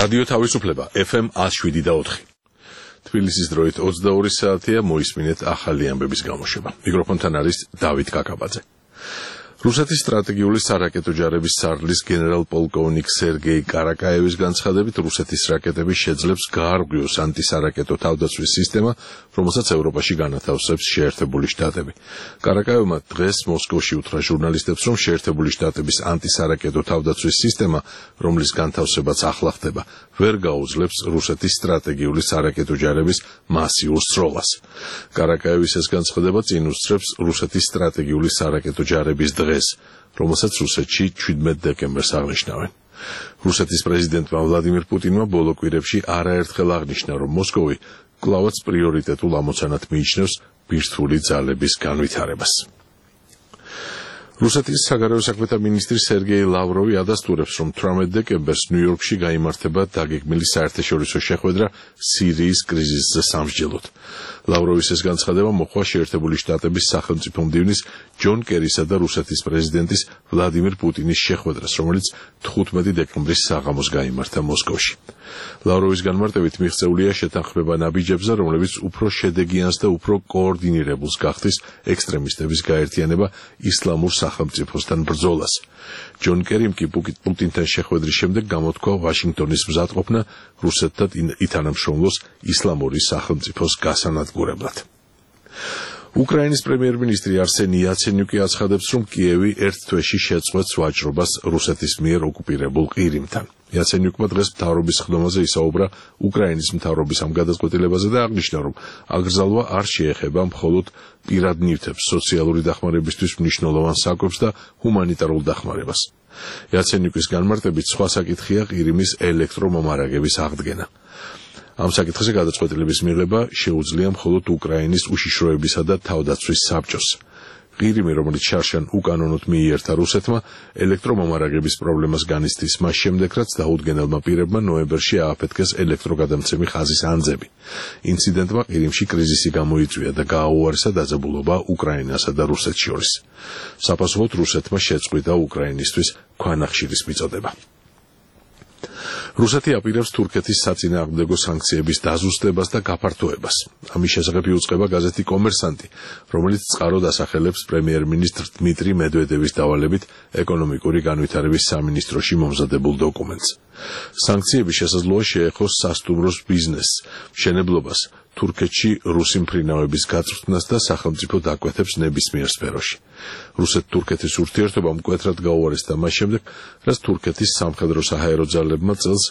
რადიო თავისუფლება FM 107.4. თბილისის დროით 22 საათია, მოისმინეთ ახალი ამბების გამოშვება. მიკროფონთან არის დავით კაკაბაძე. რუსეთის სტრატეგიული სარაკეტო ჯარების სარდლის გენერალ-პოლკოვნიკ სერგეი კარაკაევის განცხადებით, რუსეთის რაკეტები შეძლებს გაარღვიოს ანტისარაკეტო თავდაცვის სისტემა, რომელსაც ევროპაში განათავსებს შეერთებული შტატები. კარაკაევმა დღეს მოსკოვში უთხრა ჟურნალისტებს, რომ შეერთებული შტატების ანტისარაკეტო თავდაცვის სისტემა, რომლის განთავსებაც ახლა ხდება, ვერ გაუძლებს რუსეთის სტრატეგიული სარაკეტო ჯარების მასიურ სროლას. კარაკაევის ეს განცხადება წინ უსწრებს რუსეთის სტრატეგიული სარაკეტო ჯარების დღეს, რომელსაც რუსეთში 17 დეკემბერს აღნიშნავენ. რუსეთის პრეზიდენტმა ვლადიმირ პუტინმა ბოლო კვირებში არაერთხელ აღნიშნა, რომ მოსკოვი კვლავაც პრიორიტეტულ ამოცანად მიიჩნევს ბირთვული ძალების განვითარებას. რუსეთის საგარეო საქმეთა მინისტრი სერგეი ლავროვი ადასტურებს, რომ 18 დეკემბერს ნიუ-იორკში გაიმართება დაგეგმილი საერთაშორისო შეხვედრა სირიის კრიზისზე სამსჯელოდ. ლავროვის ეს განცხადება მოხდა შეერთებული შტატების სახელმწიფო მდივნის ჯონ კერისა და რუსეთის პრეზიდენტის ვლადიმირ პუტინის შეხვედრას, რომელიც 15 დეკემბრის საღამოს გაიმართა მოსკოვში. ლავროვის განმარტებით მიღწეულია შეთანხმება ნაბიჯებზე, რომლებიც უფრო შედეგიანს და უფრო კოორდინირებულს გახდის ექსტრემისტების გაერთიანება ისლამურ სახელმწიფოსთან ბრძოლას. ჯონ კერიმ კი პუტინთან შეხვედრის შემდეგ გამოთქვა ვაშინგტონის მზადყოფნა რუსეთთან ითანამშრომლოს ისლამური სახელმწიფოს გასანადგურებლად. უკრაინის პრემიერ-მინისტრი არსენი იაცენიუკი აცხადებს, რომ კიევი ერთ თვეში შეწყვეტს ვაჭრობას რუსეთის მიერ ოკუპირებულ ყირიმთან. იაცენიუკმა დღეს მთავრობის ხდომაზე ისაუბრა უკრაინის მთავრობის ამ გადაწყვეტილებაზე და აღნიშნა, რომ აგრძალვა არ შეეხება მხოლოდ პირად ნივთებს, სოციალური დახმარებისთვის მნიშვნელოვან საკვებს და ჰუმანიტარულ დახმარებას. იაცენიუკის განმარტებით სხვა საკითხია ყირიმის ელექტრომომარაგების აღდგენა. ამ საკითხზე გადაწყვეტილების მიღება შეუძლია მხოლოდ უკრაინის უშიშროებისა და თავდაცვის საბჭოს. ყირიმი, რომელიც შარშან უკანონოდ მიიერთა რუსეთმა, ელექტრომომარაგების პრობლემას განიცდის მას შემდეგ, რაც დაუდგენელმა პირებმა ნოემბერში ააფეთქეს ელექტროგადამცემი ხაზის ანძები. ინციდენტმა ყირიმში კრიზისი გამოიწვია და გააუარესა დაძაბულობა უკრაინასა და რუსეთს შორის. საპასუხოდ რუსეთმა შეწყვიტა უკრაინისთვის ქვანახშირის მიწოდება. რუსეთი აპირებს თურქეთის საწინააღმდეგო სანქციების დაზუსტებას და გაფართოებას. ამის შესახებ იუწყება გაზეთი კომერსანტი, რომელიც წყაროდ ასახელებს პრემიერ-მინისტრ დმიტრი მედვედევის დავალებით ეკონომიკური განვითარების სამინისტროში მომზადებულ დოკუმენტს. სანქციები შესაძლოა შეეხოს სასტუმროს ბიზნესს, მშენებლობას, თურქეთში რუსი მფრინავების გაწვრთნას და სახელმწიფო დაკვეთებს ნებისმიერ სფეროში. რუსეთ-თურქეთის ურთიერთობა მკვეთრად გაუარესდა მას შემდეგ, რაც თურქეთის სამხედრო საჰაერო ძალებმა წელს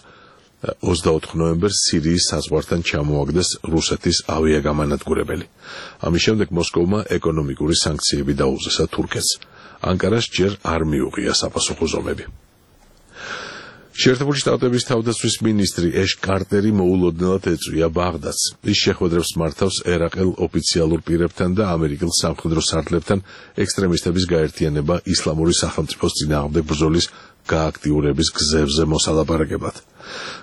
24 ნოემბერს სირიის საზღვართან ჩამოაგდეს რუსეთის ავიაგამანადგურებელი. ამის შემდეგ მოსკოვმა ეკონომიკური სანქციები დაუზესა თურქეთს. ანკარას ჯერ არ მიუღია საპასუხო ზომები. შეერთებული შტატების თავდაცვის მინისტრი ეშ კარტერი მოულოდნელად ეწვია ბაღდადს. ის შეხვედრებს მართავს ერაყელ ოფიციალურ პირებთან და ამერიკელ სამხედრო სარდლებთან ექსტრემისტების გაერთიანება ისლამური სახელმწიფოს წინააღმდეგ ბრძოლის გააქტიურების გზებზე მოსალაპარაკებლად.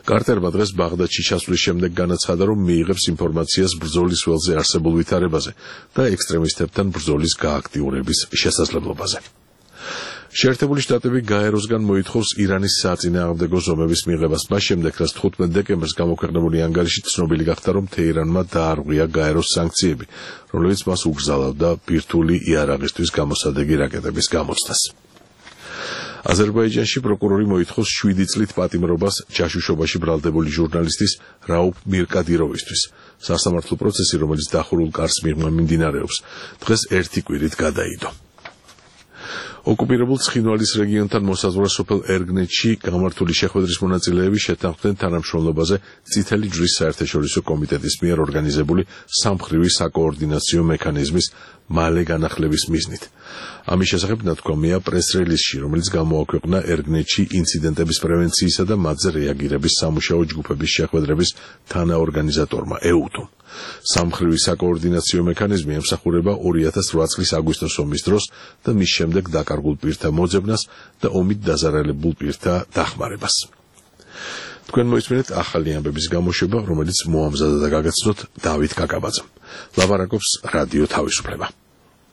კარტერმა დღეს ბაღდადში ჩასვლის შემდეგ განაცხადა, რომ მიიღებს ინფორმაციას ბრძოლის ველზე არსებულ ვითარებაზე და ექსტრემისტებთან ბრძოლის გააქტიურების შესაძლებლობაზე. შეერთებული შტატები გაეროსგან მოითხოვს ირანის საწინააღმდეგო ზომების მიღებას მას შემდეგ, რაც 15 დეკემბერს გამოქვეყნებული ანგარიში ცნობილი გახდა, რომ თეირანმა დაარღვია გაეროს სანქციები, რომლებიც მას უგზავნიდა ბირთვული იარაღისთვის გამოსადეგი რაკეტების გამოცდას. აზერბაიჯანში პროკურორი მოითხოვს 7 წლით პატიმრობას ჯაშუშობაში ბრალდებული ჟურნალისტის რაუფ მირკადიროვისთვის. სასამართლო პროცესი, რომელიც დახურულ კარს მიღმა მიმდინარეობს, დღეს 1 კვირით გადაიდო. ოკუპირებულ ცხინვალის რეგიონთან მოსაზღვრე სოფელ ერგნეთში გამართული შეხვედრის მონაწილეები შეთანხმდნენ თანამშრომლობაზე წითელი ჯვრის საერთაშორისო კომიტეტის მიერ ორგანიზებული სამხრივი საკოორდინაციო მექანიზმის მალე განახლების მიზნით. ამის შესახებ ნათქვამია პრეს-რელიზში, რომელიც გამოაქვეყნა ერგნეთში ინციდენტების პრევენციისა და მათზე რეაგირების სამუშაო ჯგუფების შეხვედრების თანაორგანიზატორმა ეუთომ. სამხრივი საკოორდინაციო მექანიზმი ემსახურება 2008 წლის აგვისტოს ომის დროს და მის შემდეგ დაკარგულ პირთა მოძებნას და ომით დაზარალებულ პირთა დახმარებას. თქვენ მოისმინეთ ახალი ამბების გამოშვება, რომელიც მოამზადა და გაგაცნოთ დავით კაკაბაძემ. ლაპარაკობს რადიო თავისუფლება.